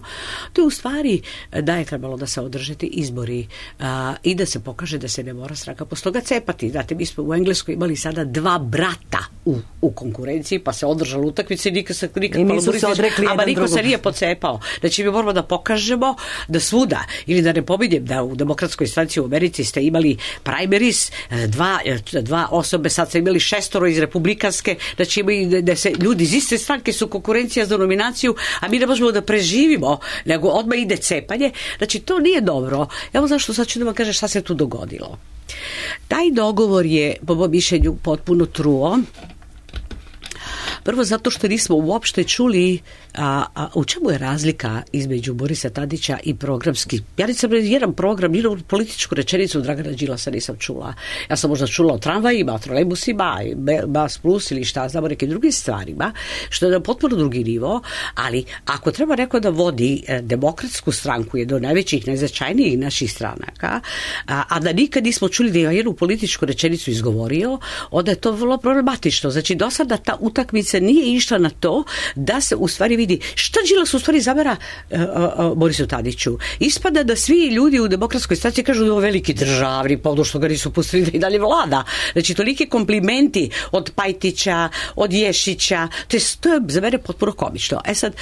[SPEAKER 2] to je u stvari da je trebalo da se održete izbori a, i da se pokaže da se ne mora stranka posle toga cepati. Znate, mi smo u Engleskoj imali sada dva brata u, u konkurenciji, pa se održala utakmica i nikad se nikad
[SPEAKER 4] I nisu se odrekli jedan
[SPEAKER 2] drugog. Niko se nije pocepao. Znači, mi moramo da pokažemo da svuda, ili da ne pominjem da u Demokratskoj stranci u Americi ste imali primaries, dva, dva osobe, sad ste imali šestoro iz republikanske, znači imali da se ljudi iz iste stranke su konkurencija za nominaciju, a mi ne možemo da preživimo, nego odmah ide cepanje. Znači, to nije dobro. Evo zašto sad ću da vam kažem šta se tu dogodilo. Taj dogovor je, po mom mišljenju, potpuno truo. Prvo zato što nismo uopšte čuli a, a, u čemu je razlika između Borisa Tadića i programski. Ja nisam jedan program, jednu političku rečenicu Dragana Đilasa nisam čula. Ja sam možda čula o tramvajima, o trolejbusima, Bas Plus ili šta, znamo nekim drugim stvarima, što je na potpuno drugi nivo, ali ako treba neko da vodi e, demokratsku stranku, jedno od najvećih, najznačajnijih naših stranaka, a, a da nikad nismo čuli da je jednu političku rečenicu izgovorio, onda je to vrlo problematično. Znači, do sada ta utakmica nije išla na to da se u stvari vidi šta Đilas u stvari zamera uh, uh, Borisu Tadiću. Ispada da svi ljudi u demokratskoj stranci kažu da je ovo veliki državni, pa ono što ga nisu pustili da i dalje vlada. Znači, toliki komplimenti od Pajtića, od Ješića, to je, to je za mene potpuno komično. E sad,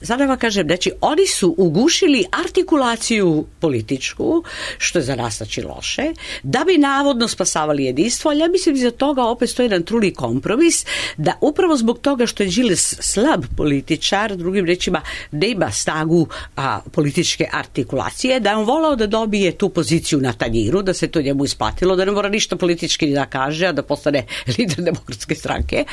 [SPEAKER 2] sada vam kažem, znači, oni su ugušili artikulaciju političku, što je za nas znači loše, da bi navodno spasavali jedinstvo, ali ja mislim da za toga opet stoji jedan truli kompromis, da upravo zbog toga što je Đilas slab političar, drugim rečima, ne ima snagu a, političke artikulacije, da je on volao da dobije tu poziciju na tanjiru, da se to njemu isplatilo, da ne mora ništa politički da kaže, a da postane lider demokratske stranke,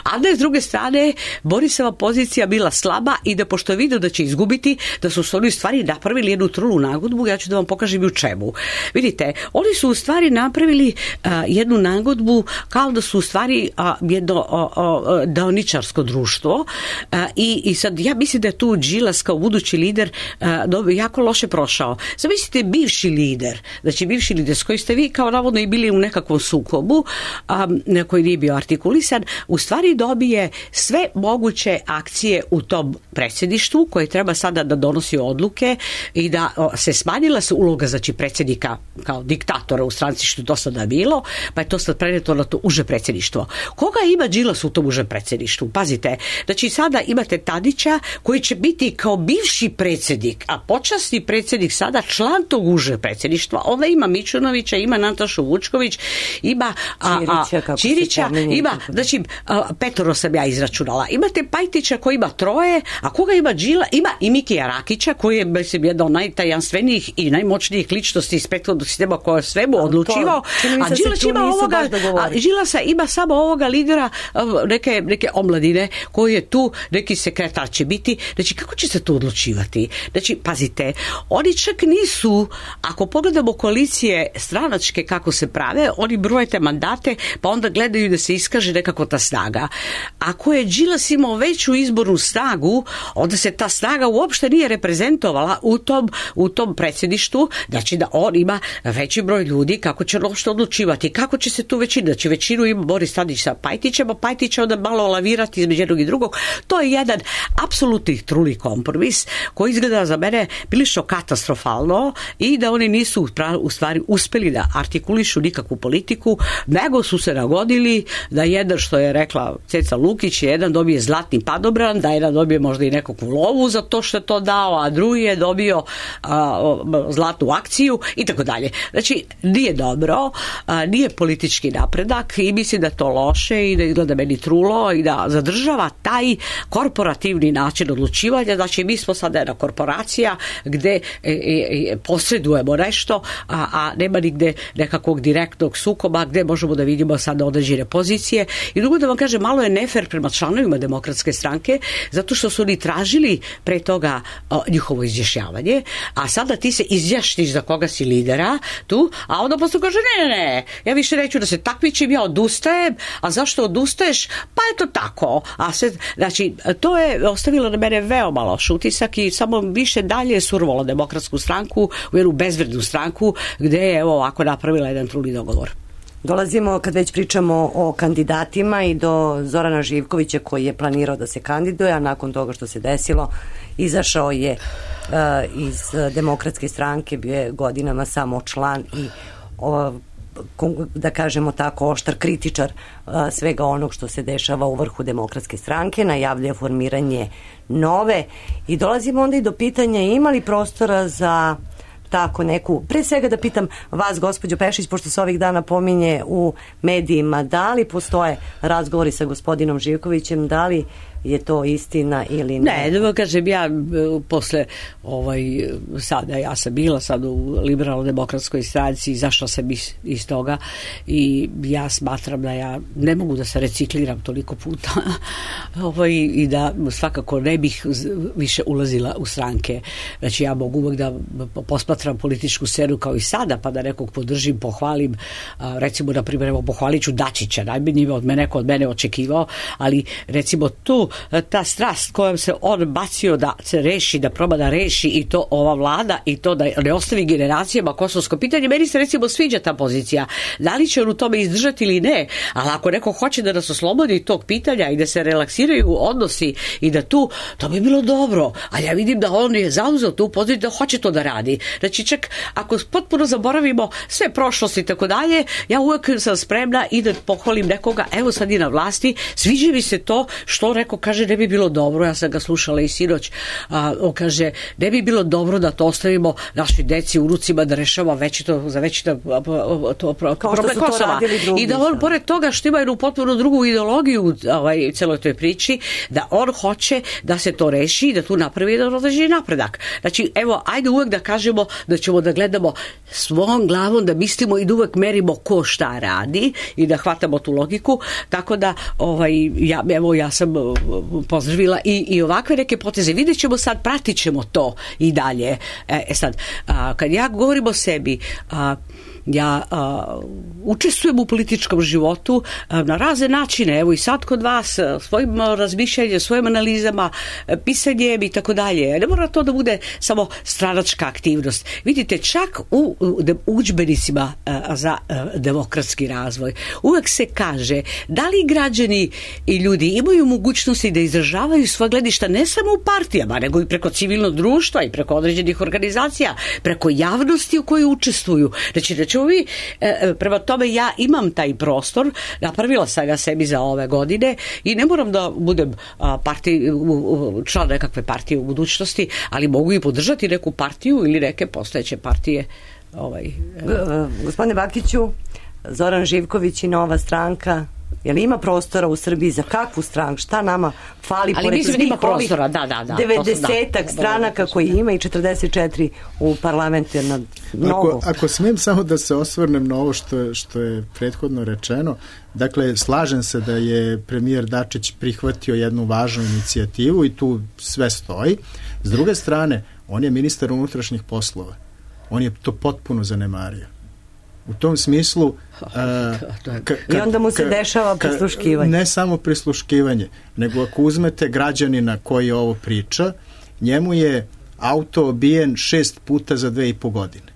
[SPEAKER 2] a da je s druge strane Borisova pozicija bila slaba i da pošto je vidio da će izgubiti, da su oni u stvari napravili jednu trulu nagodbu, ja ću da vam pokažem i u čemu. Vidite, oni su u stvari napravili a, jednu nagodbu kao da su u stvari a, jedno a, a, deoničarsko društvo a, i, i sad ja mislim da je tu Đilas kao budući lider a, do, jako loše prošao. Zamislite bivši lider, znači bivši lider s koji ste vi kao navodno i bili u nekakvom sukobu a, koji nije bio artikulisan, u stvari dobije sve moguće akcije u tom predsjedništvu koje treba sada da donosi odluke i da o, se smanjila se uloga znači predsjednika kao diktatora u stranci što je do sada bilo, pa je to sad preneto na to uže predsjedništvo. Koga ima Đilas u tom uže predsjedništvu? Pazite, znači sada imate Tadića koji će biti kao bivši predsjednik, a počasni predsjednik sada član tog uže predsjedništva. Onda ima Mičunovića, ima Natašu Vučković, ima a, a, Ćirića, ima, znači a, petoro sam ja izračunala. Imate Pajtića koji ima troje, a koga ima Đila, ima i Mikija Rakića koji je mislim jedna od najtajanstvenijih i najmoćnijih ličnosti iz prethodnog sistema koja je svemu odlučivao, a Đilas ima ovoga, a Đilasa ima samo ovoga lidera neke, neke omladine koji je tu, neki sekretar će biti, znači kako će se to odlučivati? Znači, pazite, oni čak nisu, ako pogledamo koalicije stranačke kako se prave, oni brojete mandate, pa onda gledaju da se iskaže nekako ta snaga. Ako je Đilas imao veću izbornu snagu, onda se ta snaga uopšte nije reprezentovala u tom, u tom predsjedništvu, znači da on ima veći broj ljudi, kako će uopšte odlučivati, kako će se tu većina, znači većinu ima Boris Tadić sa Pajtićem, a Pajtić će onda malo lavirati između jednog i drugog. To je jedan apsolutni truli kompromis koji izgleda za mene prilično katastrofalno i da oni nisu u stvari uspeli da artikulišu nikakvu politiku, nego su se nagodili da jedan, što je rekla Ceca Lukić, jedan dobije zlatni padobran, da jedan dobije možda i nekakvu lovu za to što je to dao, a drugi je dobio a, zlatnu akciju i tako dalje. Znači, nije dobro, a, nije politički napredak i mislim da to loše i da izgleda meni trulo i da zadržava taj korporativni način odlučivanja. Znači, mi smo sada jedna korporacija gde e, e, posredujemo nešto, a, a nema nigde nekakvog direktnog sukoba gde možemo da vidimo sada određene pozicije. I drugo da vam kažem, malo je nefer prema članovima Demokratske stranke, zato što su oni tražili pre toga o, njihovo izjašnjavanje, a sada ti se izjašniš za koga si lidera tu, a onda posle kaže ne, ne, ne, ja više neću da se takmičim, ja odustajem, a zašto odustaješ? Pa je to tako. A sve, znači, to je ostavilo na mene veoma loš utisak i samo više dalje survalo Demokratsku stranku u jednu bezvrednu stranku gde je evo ovako napravila jedan truli dogovor.
[SPEAKER 4] Dolazimo, kad već pričamo o kandidatima, i do Zorana Živkovića koji je planirao da se kandiduje, a nakon toga što se desilo izašao je uh, iz Demokratske stranke, bio je godinama samo član i uh, da kažemo tako oštar kritičar uh, svega onog što se dešava u vrhu Demokratske stranke, najavljuje formiranje nove i dolazimo onda i do pitanja ima li prostora za tako neku, pre svega da pitam vas, gospođo Pešić, pošto se ovih dana pominje u medijima, da li postoje razgovori sa gospodinom Živkovićem, da li je to istina ili ne?
[SPEAKER 2] Ne, da kažem, ja posle ovaj, sada, ja sam bila sad u liberalno-demokratskoj stranci, izašla sam iz, iz toga i ja smatram da ja ne mogu da se recikliram toliko puta ovaj, i da svakako ne bih više ulazila u stranke. Znači ja mogu uvek da posmatram političku scenu kao i sada, pa da nekog podržim, pohvalim, recimo na primjer, evo pohvalit ću Dačića, najmanje od mene, neko od mene očekivao, ali recimo tu ta strast kojom se on bacio da se reši, da proba da reši i to ova vlada i to da ne ostavi generacijama kosovsko pitanje, meni se recimo sviđa ta pozicija. Da li će on u tome izdržati ili ne, ali ako neko hoće da nas oslobodi tog pitanja i da se relaksiraju odnosi i da tu, to bi bilo dobro, ali ja vidim da on je zauzeo tu poziciju da hoće to da radi. Znači čak ako potpuno zaboravimo sve prošlosti i tako dalje, ja uvek sam spremna i da pohvalim nekoga, evo sad i na vlasti, sviđa mi se to što neko kaže ne bi bilo dobro, ja sam ga slušala i sinoć, a, on kaže ne bi bilo dobro da to ostavimo našoj deci u rucima da rešava večito, za večito to problem Kosova. I da on pored toga što ima jednu potpuno drugu ideologiju ovaj, celoj toj priči, da on hoće da se to reši i da tu napravi jedan određeni napredak. Znači, evo, ajde uvek da kažemo da ćemo da gledamo svom glavom, da mislimo i da uvek merimo ko šta radi i da hvatamo tu logiku, tako da ovaj, ja, evo, ja sam pozdravila i, i ovakve neke poteze. Vidjet ćemo sad, pratit ćemo to i dalje. E, sad, a, kad ja govorim o sebi, a, ja a, učestvujem u političkom životu a, na razne načine, evo i sad kod vas svojim razmišljanjem, svojim analizama, pisanjem i tako dalje. Ne mora to da bude samo stranačka aktivnost. Vidite, čak u, u udžbenicima a, za a, demokratski razvoj uvek se kaže da li građani i ljudi imaju mogućnosti da izražavaju svoje gledišta ne samo u partijama, nego i preko civilnog društva i preko određenih organizacija, preko javnosti u kojoj učestvuju. Znači, da ćemo vi, prema tome ja imam taj prostor, napravila sam ga sebi za ove godine i ne moram da budem partij, član nekakve partije u budućnosti, ali mogu i podržati neku partiju ili neke postojeće partije. Ovaj,
[SPEAKER 4] Gospodine Bakiću, Zoran Živković i Nova stranka, je li ima prostora u Srbiji za kakvu stranku? Šta nama fali?
[SPEAKER 2] Ali mislim da ima prostora, da, da, da.
[SPEAKER 4] devedesetak da, stranaka koji ima i četrdeset četiri u parlamentu, jer na mnogo.
[SPEAKER 3] Ako, ako smijem samo da se osvrnem na ovo što, što je prethodno rečeno, dakle, slažem se da je premijer Dačić prihvatio jednu važnu inicijativu i tu sve stoji. S druge strane, on je ministar unutrašnjih poslova. On je to potpuno zanemario. U tom smislu uh,
[SPEAKER 4] ka, ka, i onda mu se ka, dešava prisluškivanje.
[SPEAKER 3] Ne samo prisluškivanje, nego ako uzmete građanina koji ovo priča, njemu je auto obijen šest puta za dve i po godine.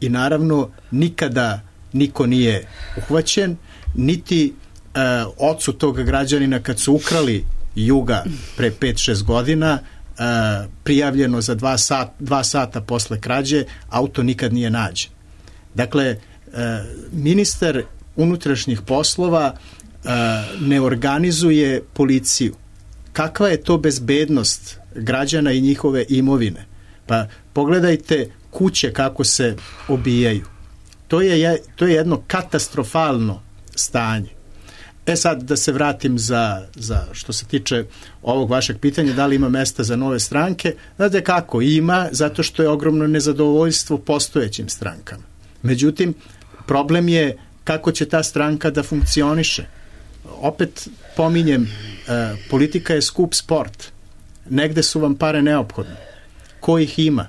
[SPEAKER 3] I naravno nikada niko nije uhvaćen, niti uh, ocu tog građanina kad su ukrali Juga pre pet šest godina, uh, prijavljeno za dva, sat, dva sata posle krađe, auto nikad nije nađen. Dakle, ministar unutrašnjih poslova ne organizuje policiju. Kakva je to bezbednost građana i njihove imovine? Pa pogledajte kuće kako se obijaju. To je, to je jedno katastrofalno stanje. E sad da se vratim za, za što se tiče ovog vašeg pitanja, da li ima mesta za nove stranke? Znate kako? Ima, zato što je ogromno nezadovoljstvo postojećim strankama. Međutim, problem je kako će ta stranka da funkcioniše. Opet pominjem, e, politika je skup sport. Negde su vam pare neophodne. Ko ih ima?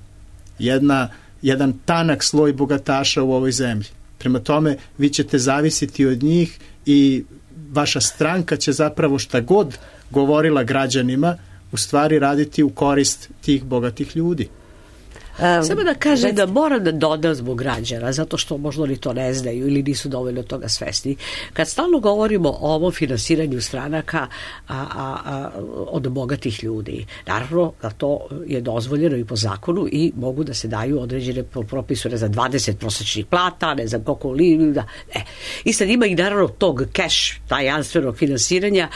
[SPEAKER 3] Jedna, jedan tanak sloj bogataša u ovoj zemlji. Prema tome, vi ćete zavisiti od njih i vaša stranka će zapravo šta god govorila građanima u stvari raditi u korist tih bogatih ljudi.
[SPEAKER 2] Um, Samo da kaže da moram da dodam zbog građana, zato što možda oni to ne znaju ili nisu dovoljno toga svesni. Kad stalno govorimo o ovom finansiranju stranaka a, a, a, od bogatih ljudi, naravno da to je dozvoljeno i po zakonu i mogu da se daju određene propisu, ne znam, dvadeset prosečnih plata, ne znam koliko li, da, e. I sad ima i naravno tog cash, tajanstvenog finansiranja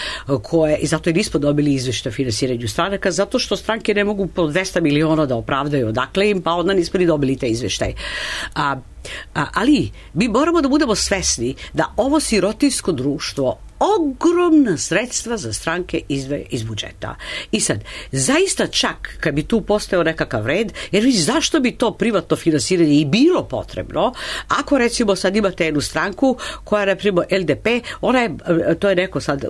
[SPEAKER 2] koje, i zato i nismo dobili izveštaj o finansiranju stranaka, zato što stranke ne mogu po dvesta miliona da opravdaju odakle im, pa onda nismo ni dobili taj izveštaj. A, a, ali mi moramo da budemo svesni da ovo sirotinsko društvo ogromna sredstva za stranke izdvaja iz budžeta. I sad, zaista čak kad bi tu postao nekakav red, jer vi zašto bi to privatno finansiranje i bilo potrebno, ako recimo sad imate jednu stranku koja je, recimo, L D P, ona je, to je neko sad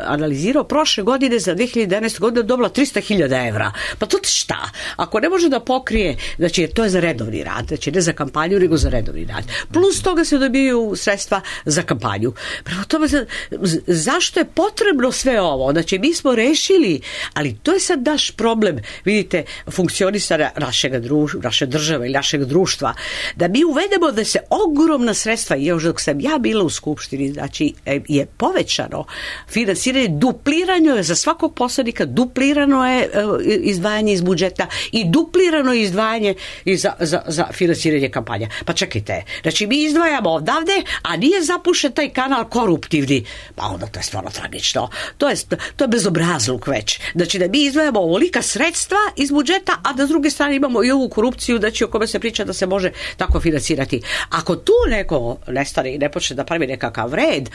[SPEAKER 2] analizirao, prošle godine za dve hiljade jedanaeste. godine dobila trista hiljada evra. Pa to šta? Ako ne može da pokrije, znači to je za redovni rad, znači ne za kampanju, nego za redovni rad. Plus toga se dobijaju sredstva za kampanju. Prema tome, zašto je potrebno sve ovo? Znači, mi smo rešili, ali to je sad naš problem, vidite, funkcionisanja našeg društva, naše države ili našeg društva, da mi uvedemo da se ogromna sredstva, još dok sam ja bila u Skupštini, znači je povećano finansiranje, duplirano je za svakog poslanika, duplirano je izdvajanje iz budžeta i duplirano je izdvajanje za, za, za finansiranje kampanja. Pa čekajte, znači mi izdvajamo odavde, a nije zapušen taj kanal koruptivni. Pa onda to je stvarno tragično. To je, to je bezobrazluk već. Znači da mi izdvajamo ovolika sredstva iz budžeta, a da s druge strane imamo i ovu korupciju, znači o kome se priča da se može tako finansirati. Ako tu neko nestane i ne počne da pravi nekakav red,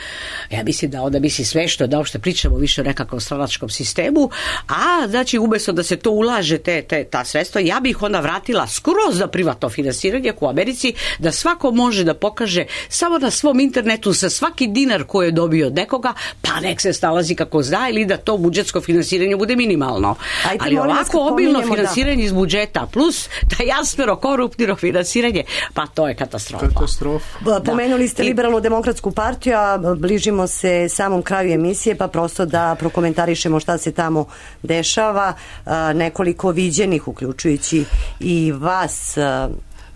[SPEAKER 2] ja mislim da onda misli sve što da uopšte pričamo više o nekakvom stranačkom sistemu, a znači umjesto da se to ulaže te, te, ta sredstva, ja bih onda vratila skroz za privatno finansiranje u Americi, da svako može da pokaže samo na svom internetu sa svaki dinar koji je dobio od nekoga, pa nek se snalazi kako zna, ili da to budžetsko finansiranje bude minimalno. Ajde, ali ovako obilno finansiranje da. iz budžeta plus da jasmero koruptivno finansiranje, pa to je katastrofa.
[SPEAKER 3] Katastrofa.
[SPEAKER 4] Pomenuli ste Liberalnu demokratsku partiju, a bližimo se samom kraju emisije, pa prosto da prokomentarišemo šta se tamo dešava. Nekoliko viđenih, uključujući i vas,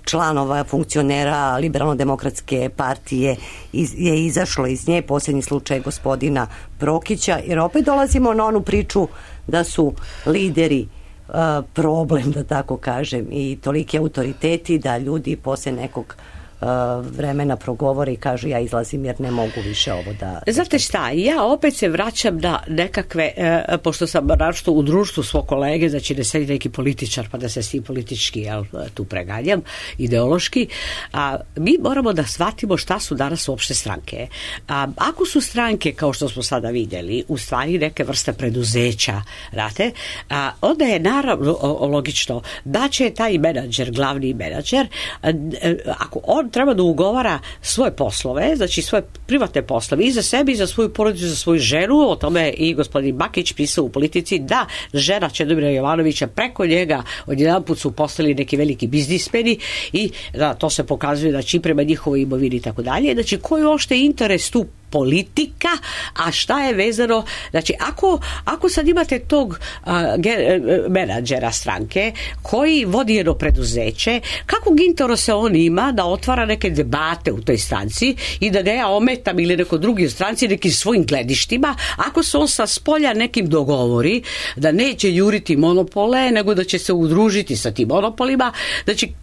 [SPEAKER 4] članova, funkcionera Liberalno-demokratske partije je izašlo iz nje, posljednji slučaj gospodina Prokića, jer opet dolazimo na onu priču da su lideri uh, problem, da tako kažem, i toliki autoriteti da ljudi posle nekog vremena progovore i kažu ja izlazim jer ne mogu više ovo da...
[SPEAKER 2] Znate šta, ja opet se vraćam na nekakve, e, pošto sam naravno u društvu svog kolege, znači ne sedi neki političar pa da se s tim politički jel, tu preganjam, ideološki, a mi moramo da shvatimo šta su danas uopšte stranke. A, ako su stranke, kao što smo sada vidjeli, u stvari neke vrste preduzeća, znate, a, onda je naravno o, logično da će taj menadžer, glavni menadžer, a, ako on treba da ugovara svoje poslove, znači svoje privatne poslove i za sebi, i za svoju porodicu, za svoju ženu, o tome i gospodin Bakić pisao u Politici, da žena Čedomira Jovanovića preko njega odjedanput su postali neki veliki biznismeni i da to se pokazuje znači prema njihovoj imovini i tako dalje. Znači koji je uopšte interes tu politika, a šta je vezano, znači ako, ako sad imate tog a, ge, menadžera stranke koji vodi jedno preduzeće, kakvog interesa on ima da otvara neke debate u toj stranci i da ne ja ometam ili neko drugi u stranci nekim svojim gledištima, ako se on sa spolja nekim dogovori da neće juriti monopole, nego da će se udružiti sa tim monopolima, znači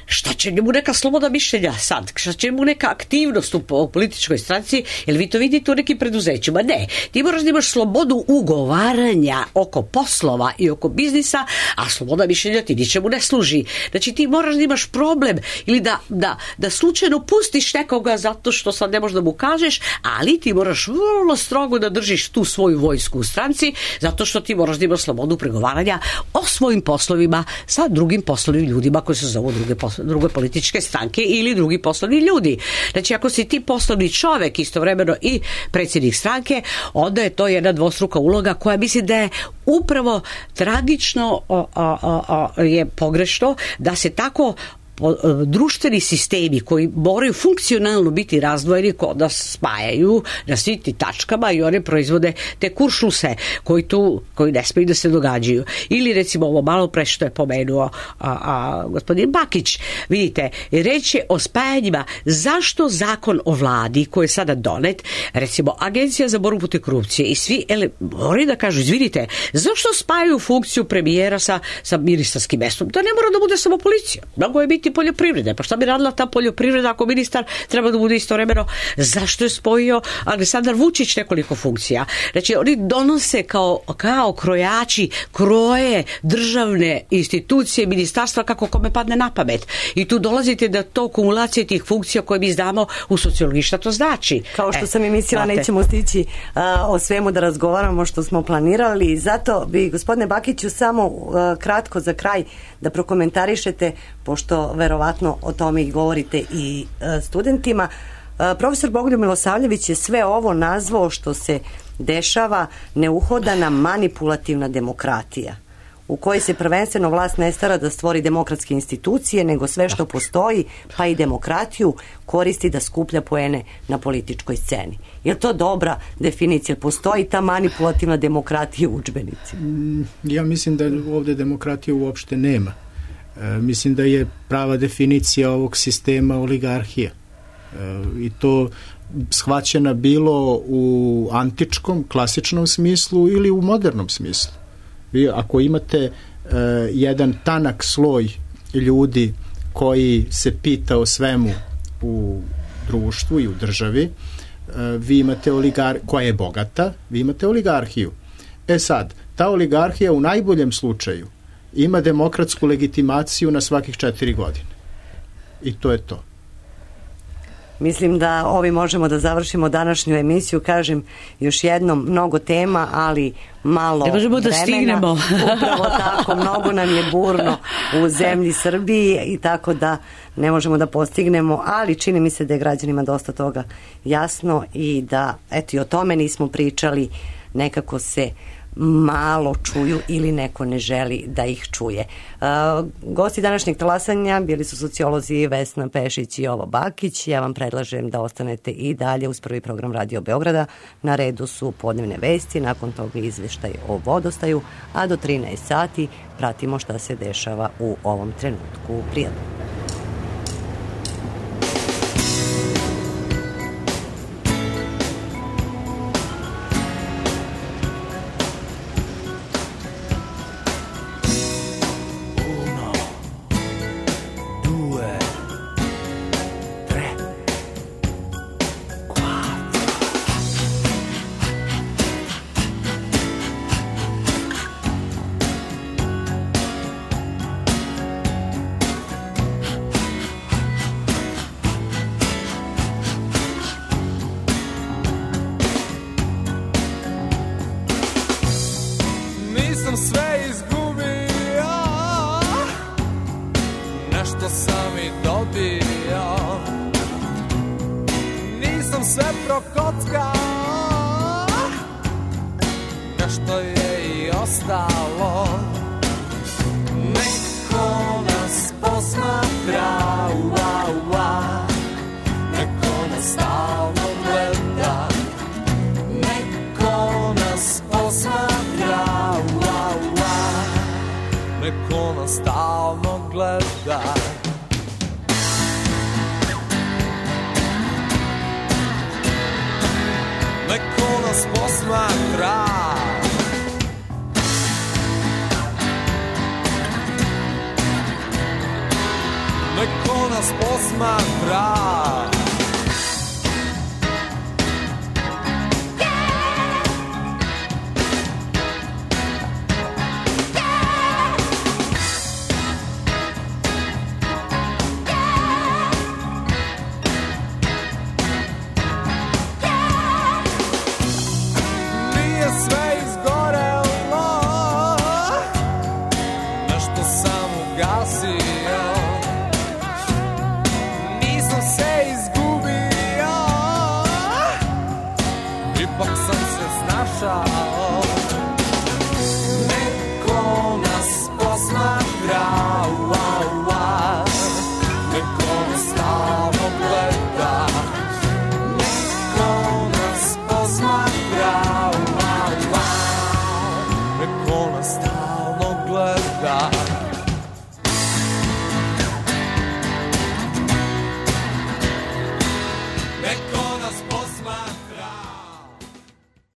[SPEAKER 2] šta će mu neka sloboda mišljenja sad, šta će mu neka aktivnost u političkoj stranci, jer vi to vidite u nekim preduzećima, ne, ti moraš da imaš slobodu ugovaranja oko poslova i oko biznisa, a sloboda mišljenja ti ničemu ne služi, znači ti moraš da imaš problem ili da, da, da slučajno pustiš nekoga zato što sad ne možeš da mu kažeš, ali ti moraš vrlo strogo da držiš tu svoju vojsku u stranci, zato što ti moraš da imaš slobodu pregovaranja o svojim poslovima sa drugim poslovnim ljudima koji se zovu druge, druge političke stranke ili drugi poslovni ljudi. Znači ako si ti poslovni čovek istovremeno i predsjednik stranke, onda je to jedna dvostruka uloga koja mislim da je upravo tragično o, o, o, o, je pogrešno da se tako društveni sistemi koji moraju funkcionalno biti razdvojeni kod nas spajaju na svim ti tačkama i one proizvode te kuršluse koji tu, koji ne smiju da se događaju. Ili recimo ovo malo pre što je pomenuo a, a, gospodin Bakić, vidite, reč je o spajanjima. Zašto zakon o vladi koji je sada donet, recimo Agencija za borbu protiv korupcije i svi ele, moraju da kažu, izvinite, zašto spajaju funkciju premijera sa, sa ministarskim mestom? To ne mora da bude samo policija. Mnogo je bitno biti poljoprivrede. Pa šta bi radila ta poljoprivreda ako ministar treba da bude istovremeno? Zašto je spojio Aleksandar Vučić nekoliko funkcija? Znači, oni donose kao, kao krojači, kroje državne institucije, ministarstva kako kome padne na pamet. I tu dolazite da to kumulacije tih funkcija koje mi znamo u sociologiji šta to znači.
[SPEAKER 4] Kao što
[SPEAKER 2] e,
[SPEAKER 4] sam i mislila,
[SPEAKER 2] znate.
[SPEAKER 4] nećemo stići a, o svemu da razgovaramo što smo planirali. Zato bi, gospodine Bakiću, samo a, kratko za kraj da prokomentarišete, pošto verovatno o tome i govorite i a, studentima. A, profesor Bogoljub Milosavljević je sve ovo nazvao što se dešava neuhodana manipulativna demokratija, u kojoj se prvenstveno vlast ne stara da stvori demokratske institucije, nego sve što postoji, pa i demokratiju, koristi da skuplja poene na političkoj sceni. Je li to dobra definicija? Postoji ta manipulativna demokratija u udžbenicima?
[SPEAKER 3] Ja mislim da ovde demokratije uopšte nema. E, mislim da je prava definicija ovog sistema oligarhija. E, I to shvaćena bilo u antičkom, klasičnom smislu ili u modernom smislu. Vi ako imate uh, jedan tanak sloj ljudi koji se pita o svemu u društvu i u državi, uh, vi imate oligar koja je bogata, vi imate oligarhiju. E sad, ta oligarhija u najboljem slučaju ima demokratsku legitimaciju na svakih četiri godine. I to je to.
[SPEAKER 4] Mislim da ovi možemo da završimo današnju emisiju. Kažem još jednom, mnogo tema, ali malo
[SPEAKER 2] ne možemo
[SPEAKER 4] vremena.
[SPEAKER 2] Da stignemo.
[SPEAKER 4] Upravo tako, mnogo nam je burno u zemlji Srbiji i tako da ne možemo da postignemo, ali čini mi se da je građanima dosta toga jasno i da, eto, i o tome nismo pričali, nekako se malo čuju ili neko ne želi da ih čuje. Uh, gosti današnjeg talasanja bili su sociolozi Vesna Pešić i Jovo Bakić. Ja vam predlažem da ostanete i dalje uz prvi program Radio Beograda. Na redu su podnevne vesti, nakon toga izveštaj o vodostaju, a do trinaest sati pratimo šta se dešava u ovom trenutku. Prijatno.
[SPEAKER 6] Stop.